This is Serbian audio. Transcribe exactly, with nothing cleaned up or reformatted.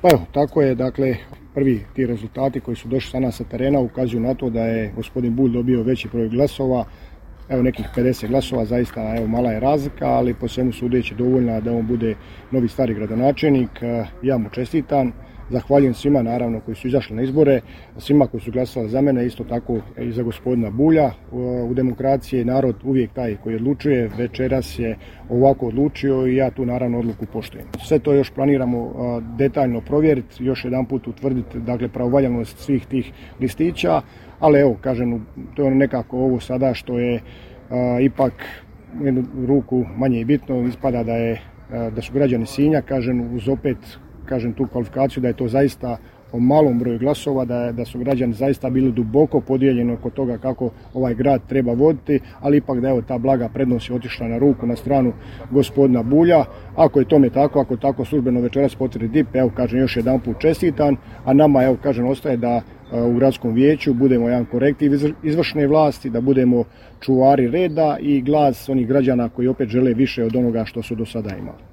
Pa evo, tako je, dakle, prvi ti rezultati koji su došli sa nas sa terena ukazuju na to da je gospodin Bulj dobio veći broj glasova, evo nekih pedeset glasova, zaista evo mala je razlika, ali po svemu sudeći dovoljna da on bude novi stari gradonačelnik. Ja mu čestitam. Zahvaljujem svima naravno koji su izašli na izbore, svima koji su glasali za mene, isto tako i za gospodina Bulja. U demokraciji je narod uvijek taj koji odlučuje, večeras je ovako odlučio i ja tu naravno odluku poštujem. Sve to još planiramo detaljno provjeriti, još jedan put utvrditi dakle pravovaljanost svih tih listića, ali evo kažem, to je nekako ovo sada što je a, ipak jednu ruku manje i bitno, ispada da je a, da su građani Sinja, kažem, uz opet kažem tu kvalifikaciju da je to zaista o malom broju glasova, da, da su građani zaista bili duboko podijeljeni oko toga kako ovaj grad treba voditi, ali ipak da je ta blaga prednost je otišla na ruku, na stranu gospodina Bulja. Ako je tome tako, ako tako službeno večeras potvrdi D I P, evo kažem još jedan put čestitam, a nama evo kažem ostaje da u gradskom vijeću budemo jedan korektiv izvršne vlasti, da budemo čuvari reda i glas onih građana koji opet žele više od onoga što su do sada imali.